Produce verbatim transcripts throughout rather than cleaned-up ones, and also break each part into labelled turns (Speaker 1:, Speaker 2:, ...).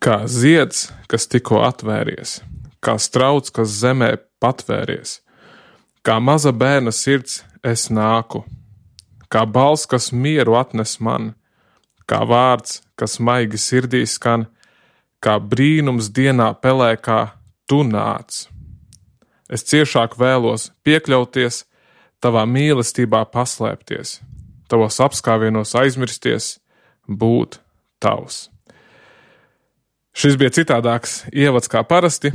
Speaker 1: Kā zieds, kas tikko atvēries, kā strauts, kas zemē patvēries, kā maza bērna sirds es nāku, kā balss, kas mieru atnes man, kā vārds, kas maigi sirdī skan, kā brīnums dienā pelēkā tu nāc. Es ciešāk vēlos piekļauties, tavā mīlestībā paslēpties, tavos apskāvienos aizmirsties, būt tavs. Šis bija citādāks ievads kā parasti.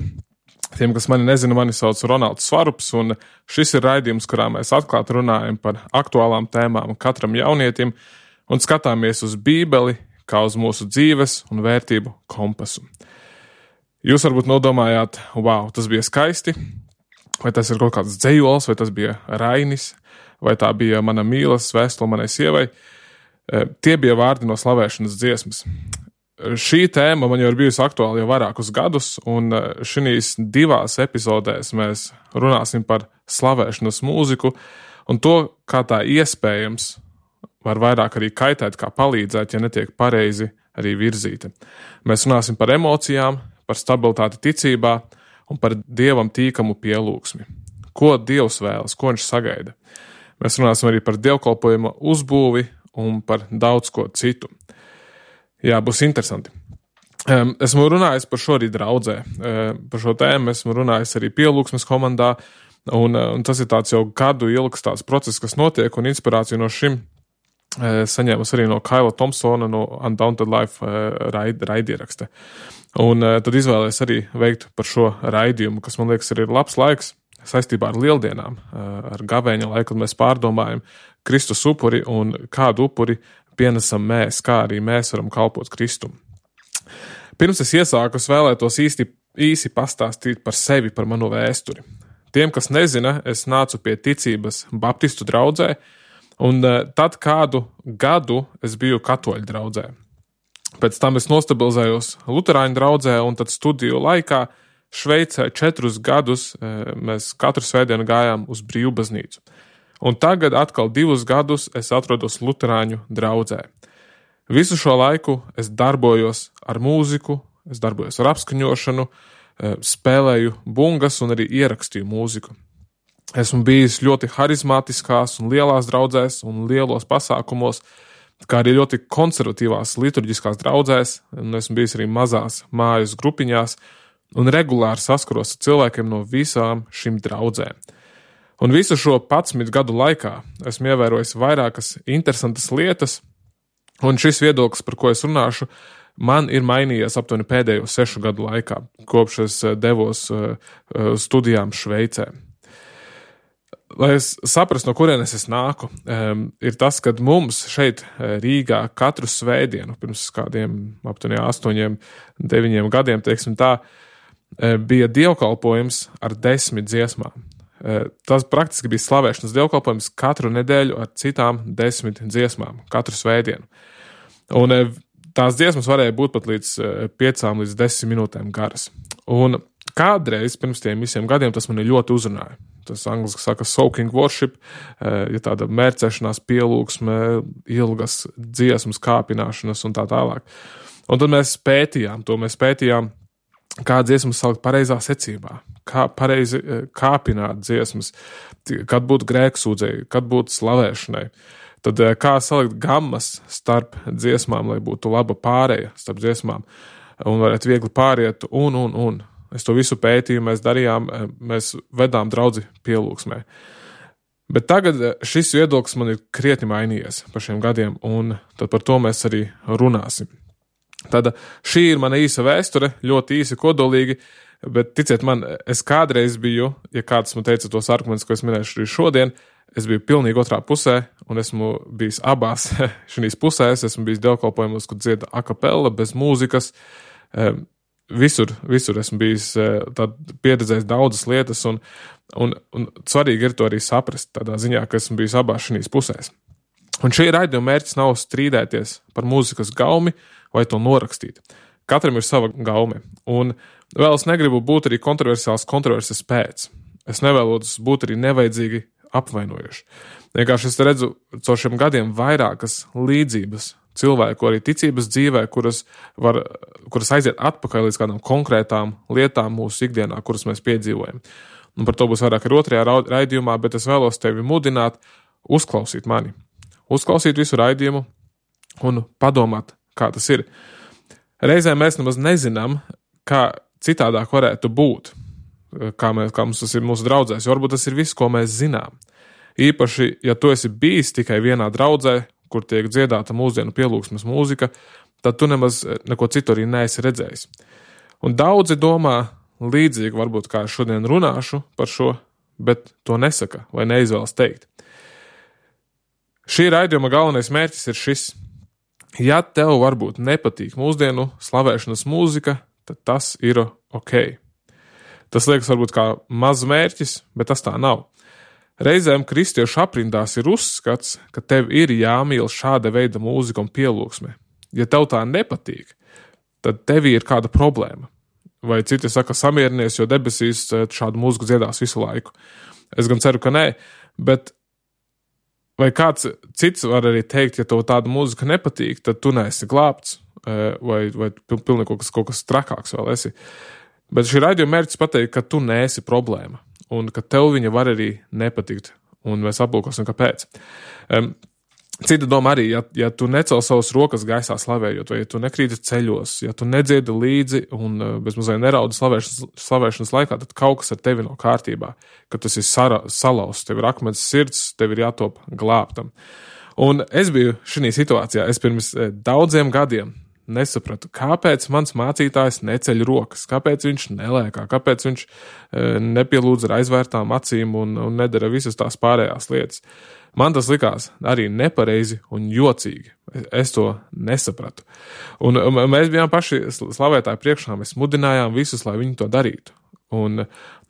Speaker 1: Tiem, kas mani nezina, mani sauc Ronalds Svarups, un šis ir raidījums, kurā mēs atklāti runājam par aktuālām tēmām katram jaunietim un skatāmies uz Bībeli kā uz mūsu dzīves un vērtību kompasu. Jūs varbūt nodomājāt, wow, tas bija skaisti, vai tas ir kaut kāds dzejols, vai tas bija Rainis, vai tā bija mana mīlas vēstule manai sievai. Tie bija vārdi no slavēšanas dziesmas. Šī tēma man jau ir bijusi aktuāla jau vairākus gadus, un šīs divās epizodēs mēs runāsim par slavēšanas mūziku un to, kā tā iespējams var vairāk arī kaitēt, kā palīdzēt, ja netiek pareizi arī virzīta. Mēs runāsim par emocijām, par stabilitāti ticībā un par Dievam tīkamu pielūgsmi. Ko Dievs vēlas, ko viņš sagaida. Mēs runāsim arī par dievkalpojuma uzbūvi un par daudz ko citu. Jā, būs interesanti. Esmu runājis par šo arī draudzē. Par šo tēmu esmu runājis arī pielūgsmes komandā, un, un tas ir tāds jau gadu ilgs tāds process, kas notiek, un inspirāciju no šim saņēmas arī no Kaila Thompsona no Undaunted Life raid, raidieraksta. Un tad izvēlēs arī veikt par šo raidījumu, kas man liekas arī ir labs laiks saistībā ar lieldienām, ar gavēņa laiku, kad mēs pārdomājam Kristus upuri un kādu upuri pienesam mēs, kā arī mēs varam kalpot Kristum. Pirms es iesāku, es vēlētos īsti, īsi pastāstīt par sevi, par manu vēsturi. Tiem, kas nezina, es nācu pie ticības baptistu draudzē, un tad kādu gadu es biju katoļu draudzē. Pēc tam es nostabilizējos luterāņu draudzē, un tad studiju laikā Šveicē četrus gadus mēs katru svētdienu gājām uz brīvbaznīcu. Un tagad atkal divus gadus es atrodos luterāņu draudzē. Visu šo laiku es darbojos ar mūziku, es darbojos ar apskaņošanu, spēlēju bungas un arī ierakstīju mūziku. Esmu bijis ļoti harizmātiskās un lielās draudzēs un lielos pasākumos, kā arī ļoti konservatīvās liturģiskās draudzēs, un esmu bijis arī mazās mājas grupiņās un regulāri saskaros ar cilvēkiem no visām šīm draudzēm. Un visu šo padsmit gadu laikā esmu ievērojis vairākas interesantas lietas, un šis viedoklis, par ko es runāšu, man ir mainījies aptuveni pēdējo sešu gadu laikā, kopš es devos studijām Šveicē. Lai es saprastu, no kurienes es nāku, ir tas, ka mums šeit Rīgā katru svētdienu, pirms kādiem aptuveni astoņiem, deviņiem gadiem, teiksim tā, bija dievkalpojums ar desmit dziesmām. Tas praktiski bija slavēšanas dievkalpojums katru nedēļu ar citām desmit dziesmām, katru svētdienu. Un tās dziesmas varēja būt pat līdz piecām līdz desmit minūtēm garas. Un kādreiz pirms tiem visiem gadiem tas mani ļoti uzrunāja. Tas angliski saka soaking worship, ja tāda mērcēšanās pielūgsme, ilgas dziesmas kāpināšanas un tā tālāk. Un tad mēs pētījām to, mēs pētījām, kā dziesmas salikt pareizā secībā, kā pareizi kāpināt dziesmas, kad būt grēksūdzēji, kad būt slavēšanai. Tad kā salikt gammas starp dziesmām, lai būtu laba pāreja starp dziesmām un varētu viegli pāriet un, un, un. Es to visu pētīju, mēs darījām, mēs vedām draudzi pielūgsmē. Bet tagad šis viedoklis man ir krietni mainījies par šiem gadiem, un tad par to mēs arī runāsim. Tad šī ir mana īsa vēsture, ļoti īsi, kodolīgi, bet ticiet man, es kādreiz biju, ja kāds man teica tos argumentus, ko es minēšu arī šodien, es biju pilnīgi otrā pusē, un esmu bijis abās šīs pusēs, esmu bijis dievkalpojumos, kur dzieda a capella, bez mūzikas, visur, visur esmu bijis tad pieredzējis daudzas lietas, un, un, un svarīgi ir to arī saprast, tādā ziņā, ka esmu bijis abās šīs pusēs. Un šī raidījuma mērķis nav strīdēties par mūzikas gaumi vai to norakstīt. Katram ir sava gaume. Un vēl es negribu būt arī kontroversiāls kontroverses pēc. Es nevēlos būt arī nevajadzīgi apvainojuši. Vienkārši es redzu caur šiem gadiem vairākas līdzības cilvēku arī ticības dzīvē, kuras, var, kuras aiziet atpakaļ līdz kādām konkrētām lietām mūsu ikdienā, kuras mēs piedzīvojam. Un par to būs vairāk ar otrajā raidījumā, bet es vēlos tevi mudināt uzklausīt mani. Uzklausīt visu raidījumu un padomāt, kā tas ir. Reizēm mēs nemaz nezinām, kā citādāk varētu būt, kā, mēs, kā mums tas ir mūsu draudzēs, jo varbūt tas ir viss, ko mēs zinām. Īpaši, ja tu esi bijis tikai vienā draudzē, kur tiek dziedāta mūsdienu pielūgsmes mūzika, tad tu nemaz neko citu arī neesi redzējis. Un daudzi domā līdzīgi, varbūt kā es šodien runāšu par šo, bet to nesaka vai neizvēlas teikt. Šī raidījuma galvenais mērķis ir šis. Ja tev varbūt nepatīk mūsdienu slavēšanas mūzika, tad tas ir ok. Tas liekas varbūt kā maz mērķis, bet tas tā nav. Reizēm kristiešu aprindās ir uzskats, ka tev ir jāmīl šāda veida mūzika un pielūgsme. Ja tev tā nepatīk, tad tev ir kāda problēma. Vai citi saka samierinies, jo debesīs šādu mūziku dziedās visu laiku. Es gan ceru, ka nē, bet vai kāds cits var arī teikt, ja tev tāda mūzika nepatīk, tad tu neesi glābts, vai, vai pilnīgi kaut kas, kaut kas trakāks vēl esi. Bet šī raidījuma mērķis pateikt, ka tu neesi problēma. Un ka tev viņa var arī nepatikt, un mēs aplūkosim, kāpēc. Um, cita doma arī, ja, ja tu necel savas rokas gaisā slavējot, vai ja tu nekrīti ceļos, ja tu nedziedi līdzi un uh, bez mazliet neraudi slavēšanas, slavēšanas laikā, tad kaut kas ar tevi nav kārtībā, ka tas ir sara, salauzts, tev ir akmens sirds, tev ir jātop glābtam. Un es biju šī situācijā, es pirms daudziem gadiem nesapratu, kāpēc mans mācītājs neceļ rokas, kāpēc viņš nelēkā, kāpēc viņš e, nepielūdz ar aizvērtām acīm un, un nedara visas tās pārējās lietas. Man tas likās arī nepareizi un jocīgi. Es, es to nesapratu. Un, un mēs bijām paši slavētāji priekšā, mēs mudinājām visus, lai viņi to darītu. Un,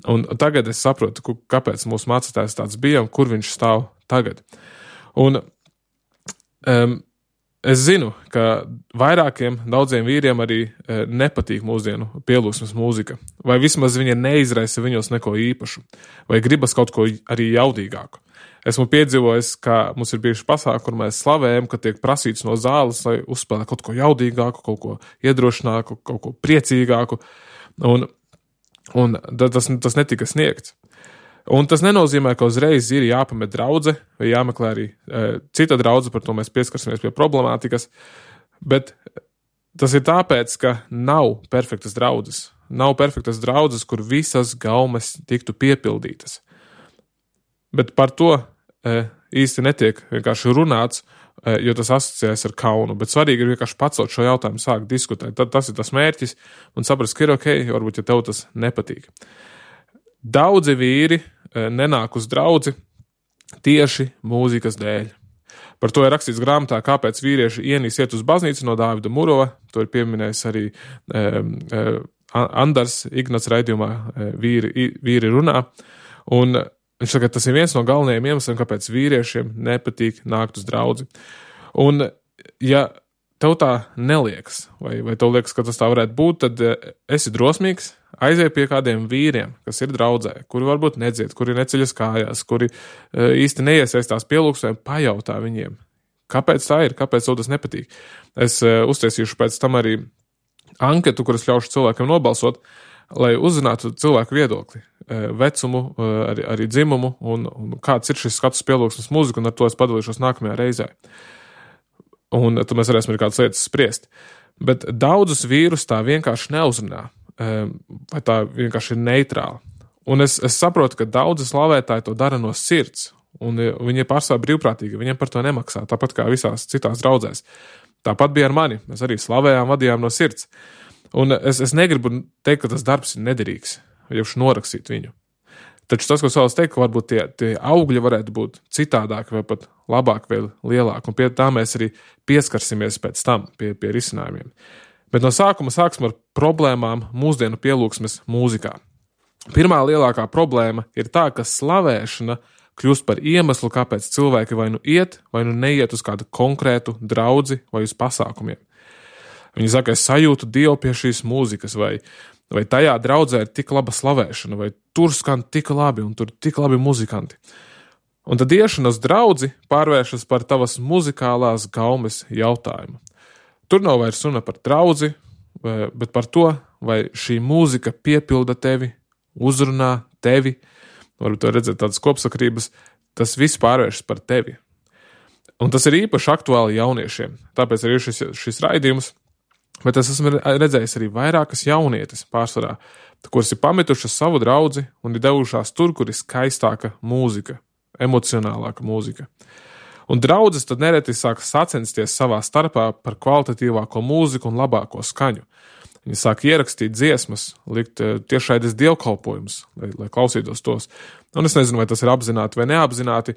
Speaker 1: un tagad es saprotu, kāpēc mūsu mācītājs tāds bija un kur viņš stāv tagad. Un um, es zinu, ka vairākiem, daudziem vīriem arī e, nepatīk mūsdienu pielūgsmes mūzika, vai vismaz viņa neizraisa viņos neko īpašu, vai gribas kaut ko arī jaudīgāku. Esmu piedzīvojis, ka mums ir bijuši pasākumi, kur mēs slavējam, ka tiek prasīts no zāles, lai uzspēlē kaut ko jaudīgāku, kaut ko iedrošināku, kaut ko priecīgāku, un, un tas, tas netika sniegts. Un tas nenozīmē, ka uzreiz ir jāpamet draudze, vai jāmeklē arī e, cita draudze, par to mēs pieskarsimies pie problemātikas, bet tas ir tāpēc, ka nav perfektas draudzes. Nav perfektas draudzes, kur visas gaumes tiktu piepildītas. Bet par to e, īsti netiek vienkārši runāts, e, jo tas asociējas ar kaunu, bet svarīgi ir vienkārši pacelt šo jautājumu, sākt diskutēt. Tad tas ir tas mērķis un saprast, ka ir ok, varbūt, ja tev tas nepatīk. Daudzi vīri nenāk uz draudzi tieši mūzikas dēļ. Par to ir rakstīts grāmatā, kāpēc vīrieši ienīs iet uz baznīcu no Dāvida Murova. To ir pieminējis arī e, e, Andars Ignats raidījumā e, vīri, vīri runā. Un viņš saka, tas ir viens no galvenajiem iemesliem, kāpēc vīriešiem nepatīk nākt uz draudzi. Un ja tev tā neliekas, vai, vai tev liekas, ka tas tā varētu būt, tad esi drosmīgs, aizej pie kādiem vīriem, kas ir draudzē, kuri varbūt nedzied, kuri neceļas kājās, kuri īsti neiesaistās pielūgsmē, pajautā viņiem, kāpēc tā ir, kāpēc tev tas nepatīk. Es uztaisīšu pēc tam arī anketu, kuras ļaušu cilvēkiem nobalsot, lai uzzinātu cilvēku viedokli, vecumu, arī, arī dzimumu un, un kāds ir šis skats pielūgsmes mūziku, un ar to es padalīšos nākamajā reizē. Un tad mēs varēsim arī kādas lietas spriest. Bet daudzus vīrus tā vienkārši neuzrunā, vai tā vienkārši ir neitrāla. Un es, es saprotu, ka daudzi slavētāji to dara no sirds, un viņi ir pārsvarā brīvprātīgi, viņiem par to nemaksā, tāpat kā visās citās draudzēs. Tāpat bija ar mani, mēs arī slavējām, vadījām no sirds. Un es, es negribu teikt, ka tas darbs ir nederīgs, vai jau norakstīt viņu. Taču tas, ko es vēlos teikt, ka varbūt tie, tie augļi varētu būt citādāki vai pat labāk vai lielāki, un pie tā mēs arī pieskarsimies pēc tam pie, pie risinājumiem. Bet no sākuma sāksim ar problēmām mūsdienu pielūgsmes mūzikā. Pirmā lielākā problēma ir tā, ka slavēšana kļūst par iemeslu, kāpēc cilvēki vai nu iet, vai nu neiet uz kādu konkrētu draudzi vai uz pasākumiem. Viņi saka, es sajūtu Dievu pie šīs mūzikas, vai, vai tajā draudzē ir tik laba slavēšana, vai tur skan tik labi un tur tik labi muzikanti. Un tad iešana uz draudzi pārvēršas par tavas muzikālās gaumes jautājumu. Tur nav vairs runa par draudzi, bet par to, vai šī mūzika piepilda tevi, uzrunā tevi, varbūt to redzēt tādas kopsakrības, tas viss pārvēršas par tevi. Un tas ir īpaši aktuāli jauniešiem, tāpēc arī šis, šis raidījums, bet es esmu redzējis arī vairākas jaunietes pārsvarā, kuras ir pametušas savu draudzi un ir devušās tur, kur ir skaistāka mūzika, emocionālāka mūzika. Un draudzes tad nereti sāk sacensties savā starpā par kvalitatīvāko mūziku un labāko skaņu. Viņi sāk ierakstīt dziesmas, likt tiešraides dievkalpojumus, lai, lai klausītos tos. Un es nezinu, vai tas ir apzināti vai neapzināti,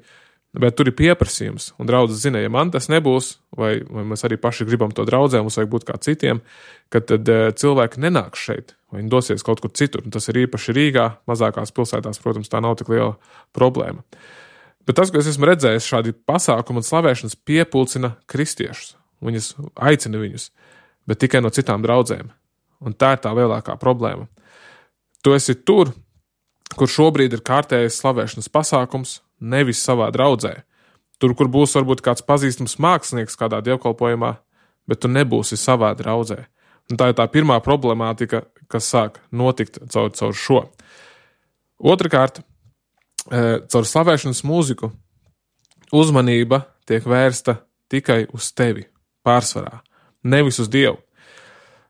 Speaker 1: bet tur ir pieprasījums. Un draudzes zina, ja man tas nebūs, vai, vai mēs arī paši gribam to draudzē, mums vajag būt kā citiem, kad tad cilvēki nenāks šeit, vai viņi dosies kaut kur citur. Un tas ir īpaši Rīgā, mazākās pilsētās, protams, tā nav tik liela problēma. Bet tas, ko es esmu redzējis, šādi pasākumi un slavēšanas piepulcina kristiešus. Viņus aicina viņus, bet tikai no citām draudzēm. Un tā ir tā lielākā problēma. Tu esi tur, kur šobrīd ir kārtējais slavēšanas pasākums, nevis savā draudzē. Tur, kur būs varbūt kāds pazīstams mākslinieks kādā dievkalpojumā, bet tu nebūsi savā draudzē. Un tā ir tā pirmā problemātika, kas sāk notikt caur, caur šo. Otrakārt, caur slavēšanas mūziku uzmanība tiek vērsta tikai uz tevi, pārsvarā, nevis uz Dievu.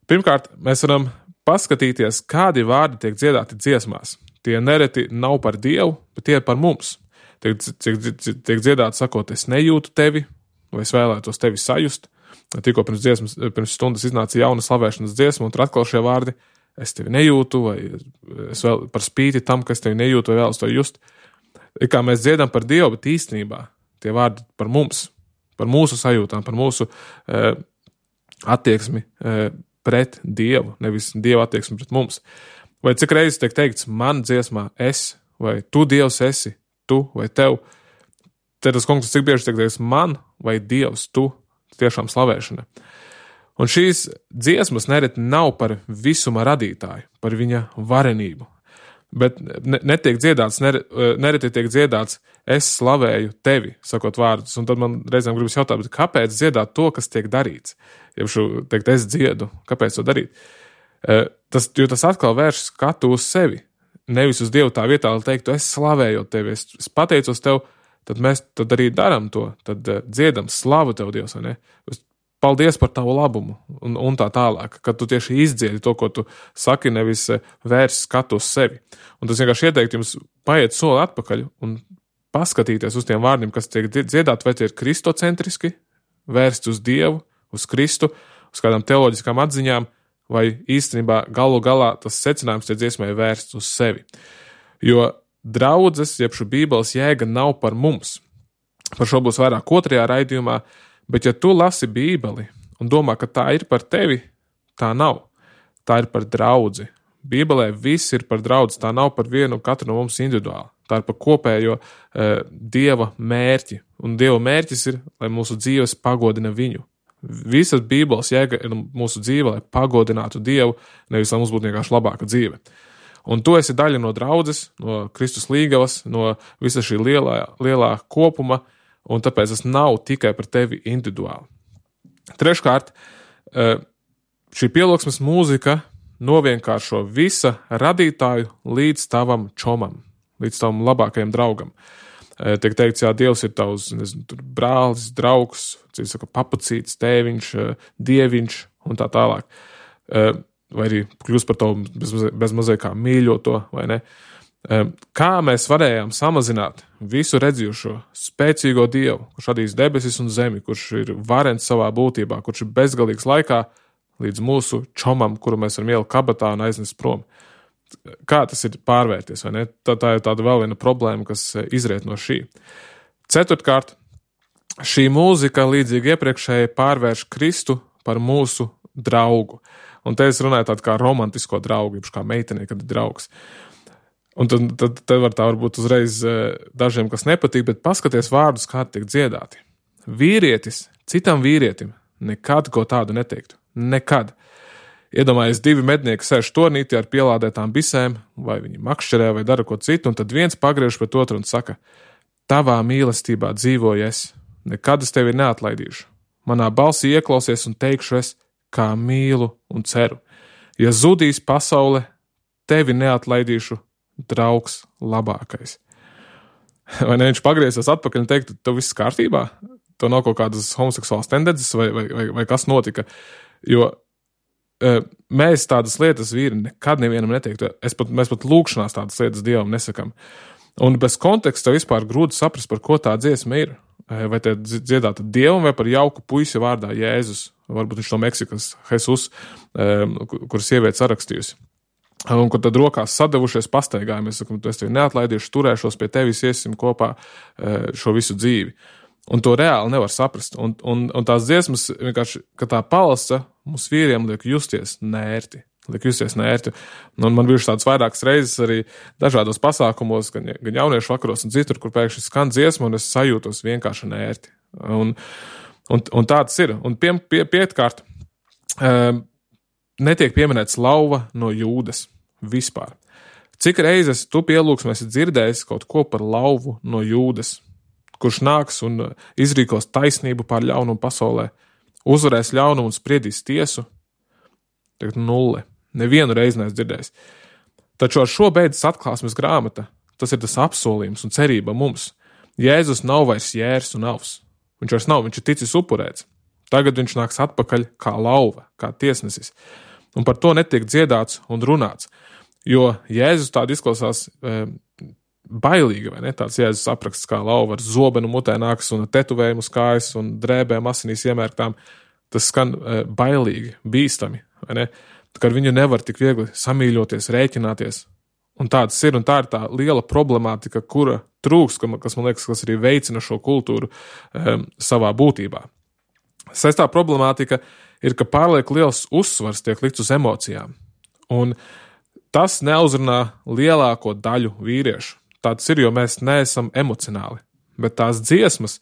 Speaker 1: Pirmkārt, mēs varam paskatīties, kādi vārdi tiek dziedāti dziesmās. Tie nereti nav par Dievu, bet tie ir par mums. Tiek, tiek, tiek dziedāti sakot, es nejūtu tevi, vai es vēlētos tevi sajust. Tikko pirms, dziesmas, pirms stundas iznāca jauna slavēšanas dziesma, un tur atkal šie vārdi, es tevi nejūtu, vai es vēl par spīti tam, ka es tevi nejūtu, vai vēlos to just. Kā mēs dziedam par Dievu, bet īstenībā tie vārdi par mums, par mūsu sajūtām, par mūsu e, attieksmi e, pret Dievu, nevis Dieva attieksmi pret mums. Vai cik reizes tiek teikts man dziesmā es, vai tu Dievs esi, tu vai tev. Te tas kungs, cik bieži tiek teikts man vai Dievs, tu, tiešām slavēšana. Un šīs dziesmas nereti nav par visuma radītāju, par viņa varenību. Bet netiek dziedāts, nereti tiek dziedāts, es slavēju tevi, sakot vārdus. Un tad man reizēm gribas jautāt, bet kāpēc dziedāt to, kas tiek darīts? Ja šo teikt, es dziedu, kāpēc to darīt? Tas, jo tas atkal vērš skatu uz sevi, nevis uz Dievu tā vietā, lai teiktu, es slavēju tevi, es, es pateicos tev, tad mēs tad arī daram to, tad dziedam slavu tev, Dievs, vai ne? Paldies par tavu labumu un, un tā tālāk, kad tu tieši izdziedi to, ko tu saki, nevis vērs skatu uz sevi. Un tas vienkārši ieteikt jums paiet soli atpakaļ un paskatīties uz tiem vārdiem, kas tiek dziedāti, vai tie ir kristocentriski, vērsti uz Dievu, uz Kristu, uz kādām teoloģiskām atziņām, vai īstenībā galu galā tas secinājums tie dziesmai vērsts uz sevi. Jo draudzes, jeb šo Bībeles jēga nav par mums. Par šo būs vairāk otrajā raidījumā, bet ja tu lasi Bībeli un domā, ka tā ir par tevi, tā nav. Tā ir par draudzi. Bībelē viss ir par draudzi, tā nav par vienu katru no mums individuāli. Tā ir par kopējo e, Dieva mērķi. Un Dieva mērķis ir, lai mūsu dzīves pagodina viņu. Visas Bībeles jēga ir mūsu dzīve, lai pagodinātu Dievu, nevis lai mums būtu vienkārši labāka dzīve. Un tu esi daļa no draudzes, no Kristus līgavas, no visa šī lielā, lielā kopuma, un tāpēc tas nav tikai par tevi individuāli. Treškārt, šī pielūgsmes mūzika novienkāršo visa radītāju līdz tavam čomam, līdz tavam labākajam draugam. Tiek teikts, jā, Dievs ir tavs, nezinu, tur brālis, draugs, cik saka, papucīts, tēviņš, dieviņš un tā tālāk. Vai arī kļūst par tavu bez, bez mazai kā mīļoto, vai ne? Kā mēs varējām samazināt visu redzījušo spēcīgo Dievu, kurš radīs debesis un zemi, kurš ir varens savā būtībā, kurš ir bezgalīgs laikā, līdz mūsu čomam, kuru mēs varam ielikt kabatā un aiznest prom. Kā tas ir pārvērties, vai ne? Tā, tā ir tāda vēl viena problēma, kas izriet no šī. Ceturtkārt, šī mūzika līdzīgi iepriekšēji pārvērš Kristu par mūsu draugu. Un te es runāju tādu kā romantisko draugu, kā meitenei, kad ir draugs. Un tad, tad, tad var tā varbūt uzreiz dažiem, kas nepatīk, bet paskaties vārdus, kā tiek dziedāti. Vīrietis citam vīrietim nekad ko tādu neteiktu. Nekad. Iedomājies, divi mednieki sēž tornītī ar pielādētām bisēm, vai viņi makšķerē, vai dara ko citu, un tad viens pagriež pret otru un saka, Tavā mīlestībā dzīvoju es, nekad es tevi neatlaidīšu. Manā balsī ieklausies un teikšu es, kā mīlu un ceru. Ja zudīs pasaule, tevi neatlaidīšu, draugs labākais. Vai ne, viņš pagriezās atpakaļ un teikt, tev viss kārtībā? Tev nav kaut kādas homoseksuālas tendences vai, vai, vai, vai kas notika? Jo uh, mēs tādas lietas vīri nekad nevienam neteiktu. Es pat, mēs pat lūkšanās tādas lietas Dievam nesakam. Un bez konteksta vispār grūti saprast, par ko tā dziesma ir. Vai te dziedāta Dievam vai par jauku puisi vārdā Jēzus. Varbūt viņš no Meksikas, Jesus, um, kur sieviete sarakstījusi. Un kur tad rokās sadavušies pastaigājumi. Es saku, es tevi neatlaidīšu, turēšos pie tevis, iesim kopā uh, šo visu dzīvi. Un to reāli nevar saprast. Un, un, un tās dziesmas vienkārši, ka tā palasa, mums vīriem liek justies nērti. Liek justies nērti. Un man bijuši tādas vairākas reizes arī dažādos pasākumos, gan, gan jauniešu vakaros un citur, kur pēkšņi skan dziesma, un es sajūtos vienkārši nērti. Un, un, un tā tas ir. Un pie, pie, pietkārt, um, netiek pieminēts lauva no Jūdas vispār. Cik reizes tu pielūgsmē esi dzirdējis kaut ko par lauvu no Jūdas, kurš nāks un izrīkos taisnību pār ļaunumu pasaulē, uzvarēs ļaunumu un spriedīs tiesu? Tagad nulle. Nevienu reizi neesmu dzirdējis. Taču ar šo beidzas atklāsmes grāmata, tas ir tas apsolījums un cerība mums. Jēzus nav vairs jērs un avs. Viņš vairs nav, viņš ir ticis upurēts. Tagad viņš nāks atpakaļ kā lauva, kā tiesnesis. Un par to netiek dziedāts un runāts. Jo Jēzus tādi izklausās e, bailīgi, vai ne? Tāds Jēzus apraksts kā lauva ar zobenu mutē nāks un tetuvējumu uz kājas un drēbēm asinīs iemērktām. Tas skan e, bailīgi, bīstami, vai ne? Kad viņu nevar tik viegli samīļoties, rēķināties. Un tāds ir, un tā ir tā liela problemātika, kura trūks, kas man liekas, kas arī veicina šo kultūru e, savā būtībā. Sestā problemātika ir, ka pārliek liels uzsvars tiek likts uz emocijām. Un tas neuzrunā lielāko daļu vīriešu. Tāds ir, jo mēs neesam emocionāli. Bet tās dziesmas,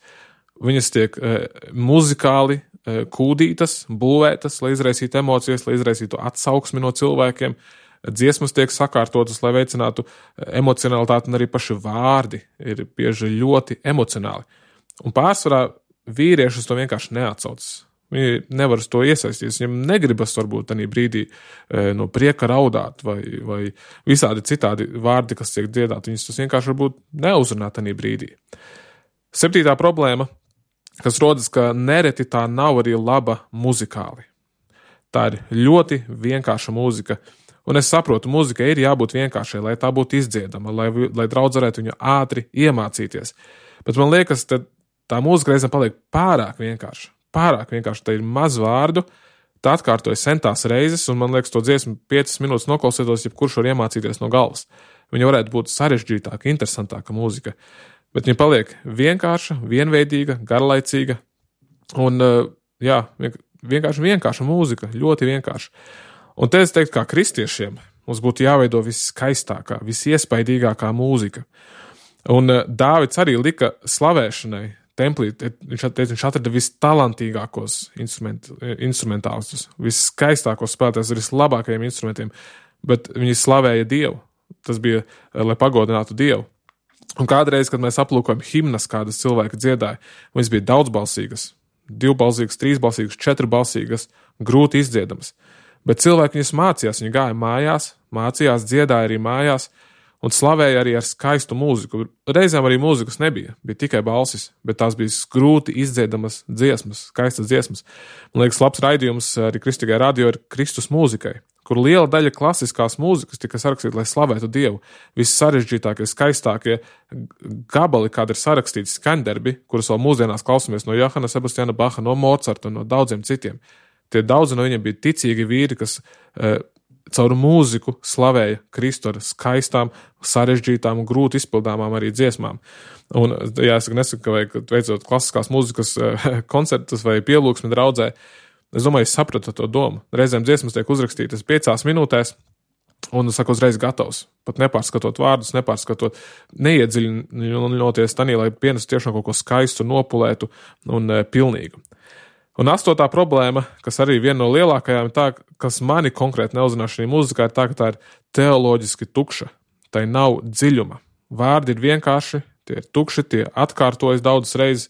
Speaker 1: viņas tiek e, muzikāli e, kūdītas, būvētas, lai izraisītu emocijas, lai izraisītu atsauksmi no cilvēkiem. Dziesmas tiek sakārtotas, lai veicinātu emocionalitāti, un arī paši vārdi ir bieži ļoti emocionāli. Un pārsvarā vīriešus to vienkārši neatsaucas. Viņi nevar uz to iesaistīties. Viņam negribas varbūt tādā brīdī e, no prieka raudāt vai, vai visādi citādi vārdi, kas tiek dziedāti. Viņus tas vienkārši varbūt neuzrunā tādā brīdī. Septītā problēma, kas rodas, ka nereti tā nav arī laba muzikāli. Tā ir ļoti vienkārša mūzika. Un es saprotu, mūzika ir jābūt vienkāršai, lai tā būtu izdziedama, lai, lai draudz varētu viņu ātri iemācīties. Bet man liekas, ka tā mūzika reizēm paliek pārāk vienkārša. Pārāk vienkārši, tā ir maz vārdu, tā atkārtoja centās reizes, un man liekas, to dziesmu piecas minūtes noklausītos, jebkurš var iemācīties no galvas. Viņa varētu būt sarežģītāka, interesantāka mūzika, bet viņa paliek vienkārša, vienveidīga, garlaicīga, un, jā, vienkārši vienkārša mūzika, ļoti vienkārša. Un te es teiktu, kā kristiešiem, mums būtu jāveido viskaistākā, visiespaidīgākā mūzika. Un Dāvids arī lika slavēšanai templī, viņš, viņš atrada vistalantīgākos instrument, instrumentālistus, viskaistākos spēlētājus ar vislabākajiem instrumentiem, bet viņi slavēja Dievu. Tas bija, lai pagodinātu Dievu. Un kādreiz, kad mēs aplūkojam himnas, kādas cilvēki dziedāja, viņas bija daudzbalsīgas, divbalsīgas, trīsbalsīgas, četrbalsīgas, grūti izdziedamas. Bet cilvēki viņas mācījās, viņi gāja mājās, mācījās, dziedāja arī mājās, un slavēja arī ar skaistu mūziku. Reizēm arī mūzikas nebija, bija tikai balsis, bet tās bija grūti izdziedamas dziesmas, skaistas dziesmas. Man liekas, labs raidījums arī Kristīgai radio ir Kristus mūzikai, kur liela daļa klasiskās mūzikas tika sarakstīta, lai slavētu Dievu. Viss sarežģītākie, skaistākie gabali, kādi ir sarakstīti skaņdarbi, kurus vēl mūsdienās klausamies no Johana Sebastiana Baha, no Mozarta un no daudziem citiem. Tie daudzi no viņiem bija ticīgi vīri, kas uh, caur mūziku slavēja Kristu ar skaistām, sarežģītām un grūti izpildāmām arī dziesmām. Un jāsaka, nesaka, vai veicot klasiskās mūzikas koncertus vai pielūgsmi draudzē, es domāju, es sapratu to domu. Reizēm dziesmas tiek uzrakstītas piecās minūtēs, un, saku, uzreiz gatavs. Pat nepārskatot vārdus, nepārskatot, neiedziļinoties tanī, lai pienestu tiešām kaut ko skaistu, nopulētu un e, pilnīgu. Un astotā problēma, kas arī viena no lielākajām, ir tā, kas mani konkrēti neuzrunā šī mūzikā, ir tā, ka tā ir teoloģiski tukša. Tai nav dziļuma. Vārdi ir vienkārši, tie ir tukši, tie atkārtojas daudzas reizes,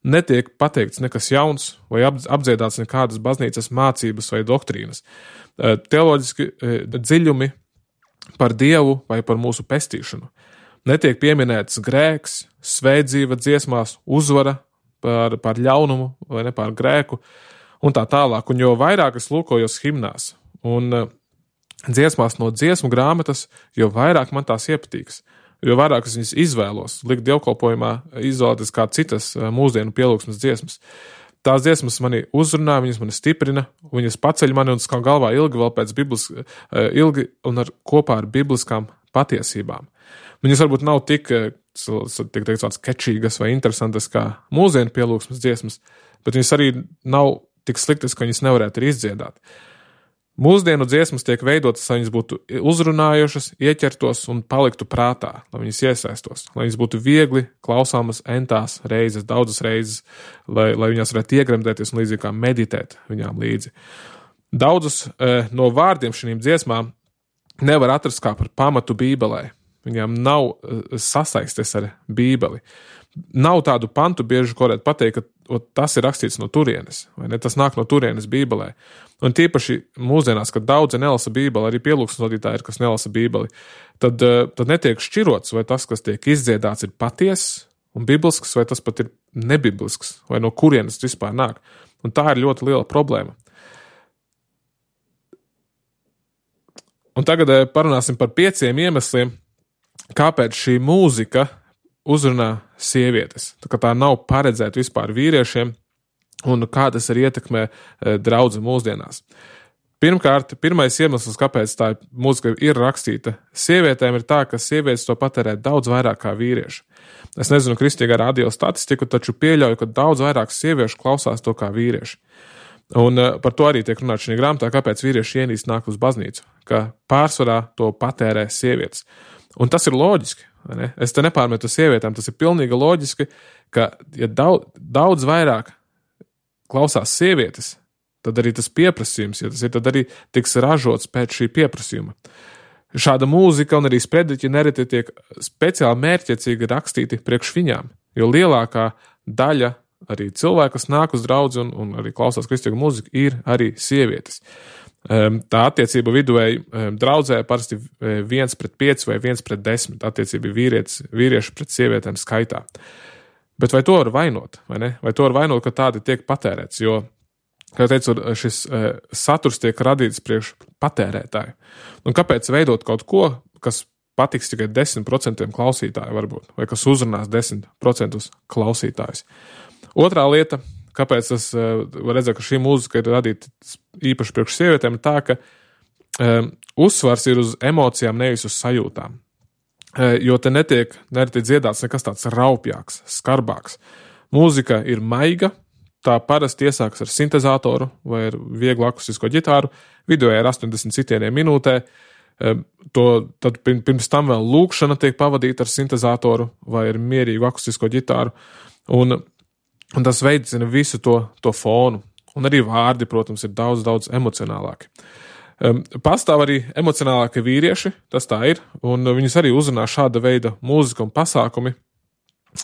Speaker 1: netiek pateikts nekas jauns vai apdziedāts nekādas baznīcas mācības vai doktrīnas. Teoloģiski dziļumi par Dievu vai par mūsu pestīšanu. Netiek pieminēts grēks, svētdzīva dziesmās, uzvara par, par ļaunumu vai ne par grēku un tā tālāk. Un jo vairāk es lūkojos himnās un dziesmās no dziesmu grāmatas, jo vairāk man tās iepatīks. Jo vairāk es viņas izvēlos, likt dievkalpojumā, izvēlēties kā citas mūsdienu pielūgsmes dziesmas. Tās dziesmas mani uzrunā, viņas mani stiprina, viņas paceļ mani un skan galvā ilgi vēl pēc biblis, ilgi un ar, kopā ar bibliskām patiesībām. Viņas varbūt nav tik, tik teikt, tāds kečīgas vai interesantas kā mūsdienu pielūgsmes dziesmas, bet viņas arī nav tik sliktas, ka viņas nevarētu arī izdziedāt. Mūsdienu dziesmas tiek veidotas, lai viņas būtu uzrunājošas, ieķertos un paliktu prātā, lai viņas iesaistos, lai viņas būtu viegli klausāmas entās reizes, daudzas reizes, lai, lai viņās varētu iegremdēties un līdzīgi kā meditēt viņām līdzi. Daudzus e, no vārdiem šīm dziesmām nevar atrast kā par pamatu Bībelē. Viņām nav e, sasaistes ar Bībeli. Nav tādu pantu bieži, ko varētu pateikt, ka o, tas ir rakstīts no turienes, vai ne? Tas nāk no turienes Bībelē. Un tīpaši mūsdienās, kad daudzi nelasa Bībeli, arī pielūgsmes vadītāji ir, kas nelasa Bībeli, tad, tad netiek šķirots, vai tas, kas tiek izdziedāts, ir patiess un biblisks, vai tas pat ir nebiblisks, vai no kurienes tas vispār nāk. Un tā ir ļoti liela problēma. Un tagad parunāsim par pieciem iemesliem, kāpēc šī mūzika uzrunā sievietes. Tā kā tā nav paredzēta vispār vīriešiem un kā tas arī ietekmē draudzi mūsdienās. Pirmkārt, pirmais iemesls, kāpēc tā mūzika ir rakstīta sievietēm, ir tā, ka sievietes to patērē daudz vairāk kā vīrieši. Es nezinu kristīgā radio statistiku, taču pieļauju, ka daudz vairāk sieviešu klausās to kā vīrieši. Un par to arī tiek runāts šajā grāmatā, kāpēc vīrieši ienīst nāk uz baznīcu, ka pārsvarā to patērē sievietes. Un tas ir loģiski. Ne? Es te nepārmetu sievietēm, tas ir pilnīgi loģiski, ka ja daudz, daudz vairāk klausās sievietes, tad arī tas pieprasījums, ja tas ir, tad arī tiks ražots pēc šī pieprasījuma. Šāda mūzika un arī sprediķi nereti tiek speciāli mērķiecīgi rakstīti priekš viņām, jo lielākā daļa arī cilvēku, kas nāk uz draudzi un, un arī klausās kristīgu mūziku, ir arī sievietes. Tā attiecība viduvēji draudzē parasti viens pret pieci vai viens pret desmit attiecība vīrietis, vīrieši pret sievietēm skaitā. Bet vai to var vainot, vai ne? Vai to var vainot, ka tādi tiek patērēts, jo, kā teicu, šis saturs tiek radīts priekš patērētāju. Un kāpēc veidot kaut ko, kas patiks tikai desmit procentiem klausītāju varbūt, vai kas uzrunās desmit procentus klausītājus? Otrā lieta, kāpēc es varu redzēt, ka šī mūzika ir radīta īpaši priekš sievietēm, ir tā, ka um, uzsvars ir uz emocijām, nevis uz sajūtām. Uh, jo te netiek nereti dziedāts nekas tāds raupjāks, skarbāks. Mūzika ir maiga, tā parasti iesākas ar sintezātoru vai ar vieglu akustisko ģitāru, vidēji ar astoņdesmit sitieniem minūtē. Um, to, tad pirms tam vēl lūkšana tiek pavadīta ar sintezātoru vai ar mierīgu akustisko ģitāru. Un Un tas veicina visu to, to fonu. Un arī vārdi, protams, ir daudz, daudz emocionālāki. Um, pastāv arī emocionālāki vīrieši, tas tā ir, un viņus arī uzrunā šāda veida mūzika un pasākumi.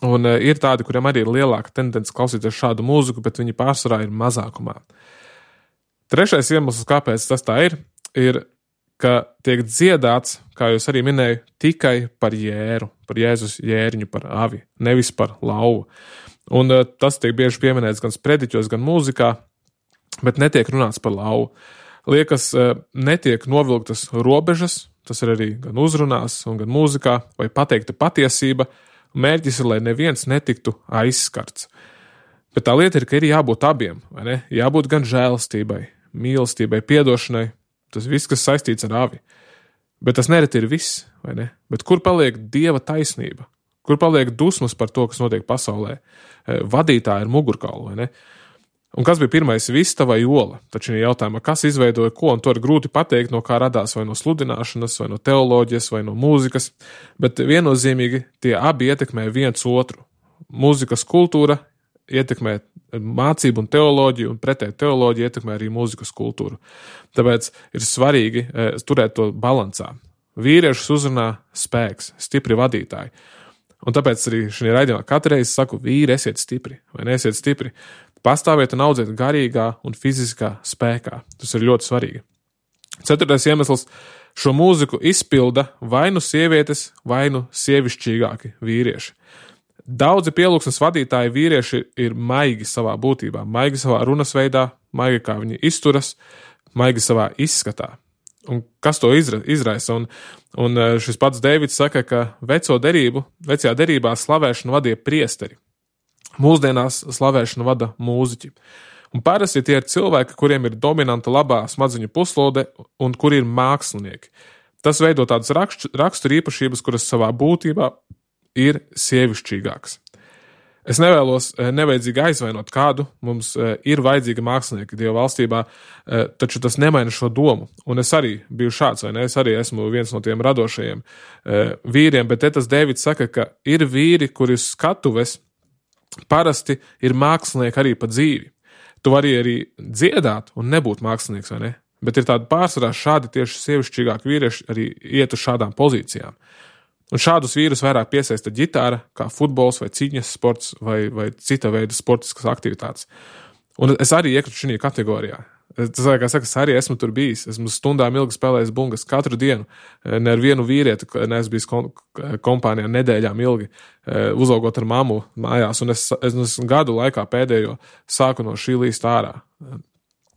Speaker 1: Un uh, ir tādi, kuriem arī ir lielāka tendence klausīties šādu mūziku, bet viņi pārsvarā ir mazākumā. Trešais iemesls, kāpēc tas tā ir, ir, ka tiek dziedāts, kā jūs arī minēju, tikai par jēru, par Jēzus jēriņu, par avi, nevis par lauvu. Un uh, tas tiek bieži pieminēts gan sprediķos, gan mūzikā, bet netiek runāts par lauvu. Liekas, uh, netiek novilktas robežas, tas ir arī gan uzrunās, un gan mūzikā, vai pateikta patiesība, mērķis ir, lai neviens netiktu aizskarts. Bet tā lieta ir, ka ir jābūt abiem, vai ne? Jābūt gan žēlastībai, mīlestībai, piedošanai, tas viss, kas saistīts ar avi. Bet tas nereti ir viss, vai ne? Bet kur paliek Dieva taisnība? Kur paliek dusmas par to, kas notiek pasaulē? Vadītāji ir mugurkauli, vai ne? Un kas bija pirmais, vista vai ola? Taču ir jautājumā, kas izveidoja ko, un to ir grūti pateikt, no kā radās vai no sludināšanas, vai no teoloģijas, vai no mūzikas, bet viennozīmīgi tie abi ietekmē viens otru. Mūzikas kultūra ietekmē mācību un teoloģiju, un pretēji teoloģija ietekmē arī mūzikas kultūru. Tāpēc ir svarīgi turēt to balansā. Vīriešus uzrunā spēks, stipri vadītāji. Un tāpēc arī šajā raidījumā katru reizi saku, vīri, esiet stipri, vai neesiet stipri. Pastāviet un audziet garīgā un fiziskā spēkā. Tas ir ļoti svarīgi. Ceturtais iemesls - šo mūziku izpilda vai nu sievietes, vai nu sievišķīgāki vīrieši. Daudzi pielūgsmes vadītāji vīrieši ir maigi savā būtībā, maigi savā runas veidā, maigi kā viņi izturas, maigi savā izskatā. Un kas to izra, izraisa? Un, un šis pats Deivids saka, ka veco derību, vecajā derībā slavēšanu vadīja priesteri. Mūsdienās slavēšanu vada mūziķi. Un parasti tie ir cilvēki, kuriem ir dominanta labā smadzeņu puslode un kuri ir mākslinieki. Tas veido tādas rakstura īpašības, kuras savā būtībā ir sievišķīgākas. Es nevēlos nevajadzīgi aizvainot kādu, mums ir vajadzīga mākslinieki Dieva valstībā, taču tas nemaina šo domu. Un es arī biju šāds, vai ne? Es arī esmu viens no tiem radošajiem vīriem, bet te tas Deivids saka, ka ir vīri, kuri uz skatuves parasti ir mākslinieki arī pa dzīvi. Tu vari arī dziedāt un nebūt mākslinieks, vai ne? Bet ir tādi pārsvarā šādi tieši sievišķīgāki vīrieši arī iet uz šādām pozīcijām. Un šādus vīrus vairāk piesaista ģitāra, kā futbols vai cīņas sports vai, vai cita veida sportiskas aktivitātes. Un es arī iekritu šajā kategorijā. Tas, kā saka, es arī esmu tur bijis. Esmu stundām ilgi spēlējis bungas katru dienu. Ne ar vienu vīrieti, neesmu bijis kompānijā nedēļām ilgi, uzaugot ar mammu mājās. Un es, es gadu laikā pēdējo sāku no šī līst ārā.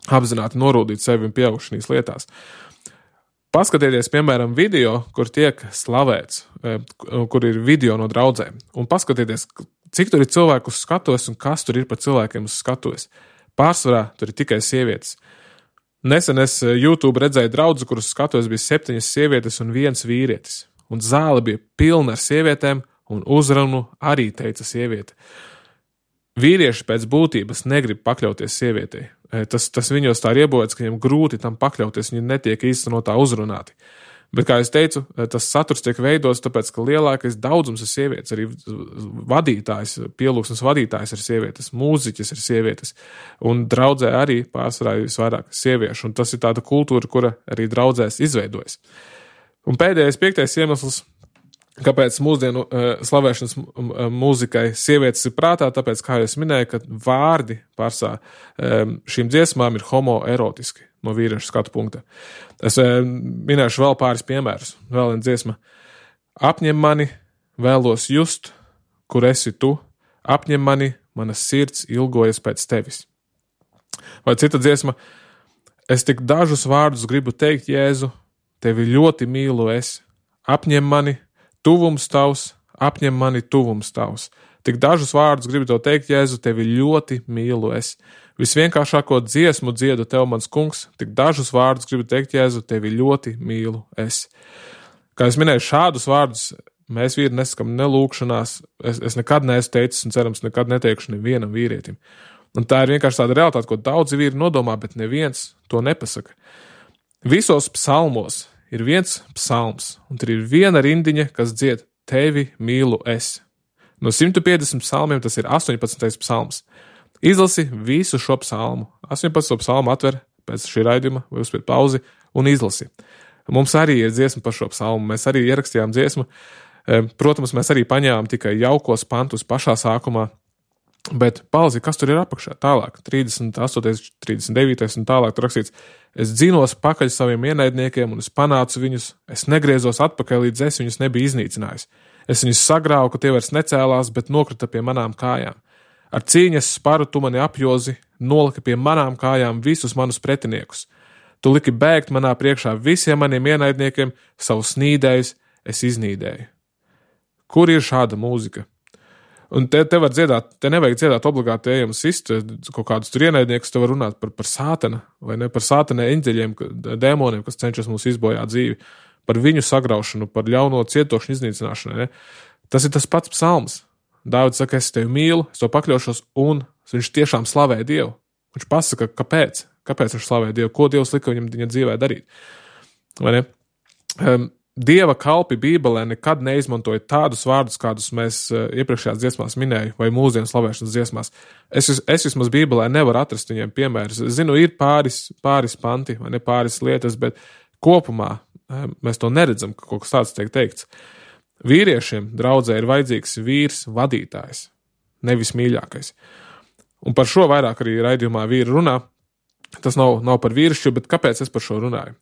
Speaker 1: Apzināti norūdīt sevi un pieaugt šīs lietās. Paskatieties, piemēram, video, kur tiek slavēts, kur ir video no draudzēm. Un paskatieties, cik tur ir cilvēku uz skatuves un kas tur ir par cilvēkiem uz skatuves. Pārsvarā tur ir tikai sievietes. Nesen es YouTube redzēju draudzi, kuras skatuves bija septiņas sievietes un viens vīrietis. Un zāle bija pilna ar sievietēm un uzrunu arī teica sieviete. Vīrieši pēc būtības negrib pakļauties sievietei. Tas, tas viņos tā ir iebojāts, ka viņiem grūti tam pakļauties, viņi netiek īstenotā uzrunāti. Bet, kā es teicu, tas saturs tiek veidots, tāpēc, ka lielākais daudzums ir sievietes, arī vadītājs, pielūgsmes vadītājs ir sievietes, mūziķis ir sievietes, un draudzē arī pārsvarā ir visvairāk sieviešu, un tas ir tāda kultūra, kura arī draudzēs izveidojas. Un pēdējais, piektais iemesls, kāpēc mūsdienu uh, slavēšanas mūzikai sievietes ir prātā, tāpēc, kā es minēju, ka vārdi pārsā um, šīm dziesmām ir homoerotiski no vīriešu skatu punkta. Es um, minēšu vēl pāris piemērus. Vēl viena dziesma. Apņem mani, vēlos just, kur esi tu, apņem mani, mana sirds ilgojas pēc tevis. Vai cita dziesma. Es tik dažus vārdus gribu teikt, Jēzu, tevi ļoti mīlu es, apņem mani, tuvums tavs, apņem mani tuvums tavs. Tik dažus vārdus gribu tev teikt, Jēzu, tevi ļoti mīlu es. Visvienkāršāko dziesmu dziedu tev, mans kungs, tik dažus vārdus gribu teikt, Jēzu, tevi ļoti mīlu es. Kā es minēju, šādus vārdus mēs vīri nesakam nelūkšanās, es, es nekad neesmu teicis un cerams nekad neteikšu nevienam vīrietim. Un tā ir vienkārši tāda realitāte, ko daudzi vīri nodomā, bet neviens to nepasaka. Visos psalmos ir viens psalms, un tur ir viena rindiņa, kas dzied tevi mīlu es. No simt piecdesmit psalmiem tas ir astoņpadsmitais psalms. Izlasi visu šo psalmu. astoņpadsmito psalmu atver pēc šī raidījuma, vai uzspied pauzi, un izlasi. Mums arī ir dziesma par šo psalmu, mēs arī ierakstījām dziesmu. Protams, mēs arī paņēmām tikai jaukos pantus pašā sākumā, bet palzi, kas tur ir apakšā? Tālāk, trīsdesmit astotais, trīsdesmit devītais un tālāk tur rakstīts, es dzinos pakaļ saviem ienaidniekiem un es panācu viņus, es negriezos atpakaļ, līdz es viņus nebiju iznīcinājis. Es viņus sagrāvu, ka tie vairs necēlās, bet nokrita pie manām kājām. Ar cīņas sparu tu mani apjozi, nolika pie manām kājām visus manus pretiniekus. Tu liki bēgt manā priekšā visiem maniem ienaidniekiem, savu snīdējus es iznīdēju. Kur ir šāda mūzika? Un te, te var dziedāt, te nevajag dziedāt obligāti ejam sist, kaut kādus tur ienaidniekus, te var runāt par, par sātana, vai ne, par sātana eņģeļiem, dēmoniem, kas cenšas mums izbojāt dzīvi, par viņu sagraušanu, par ļauno cietokšņu iznīcināšanu, ne. Tas ir tas pats psalms. Dāvids saka, es tevi mīlu, es to pakļaušos, un viņš tiešām slavē Dievu. Viņš pasaka, kāpēc, kāpēc viņš slavē Dievu, ko Dievs lika viņam viņa dzīvē darīt. Vai ne? Um, Dieva kalpi Bībelē nekad neizmantoja tādus vārdus, kādus mēs iepriekšējās dziesmās minēju, vai mūsdienu slavēšanas dziesmās. Es, es vismaz Bībelē nevaru atrast viņiem piemērus. Es zinu, ir pāris, pāris panti, vai ne pāris lietas, bet kopumā mēs to neredzam, ka kaut kas tāds tiek teikts. Vīriešiem draudzē ir vajadzīgs vīrs vadītājs, nevis mīļākais. Un par šo vairāk arī raidījumā vīri runā. Tas nav, nav par vīrišķu, bet kāpēc es par šo runāju?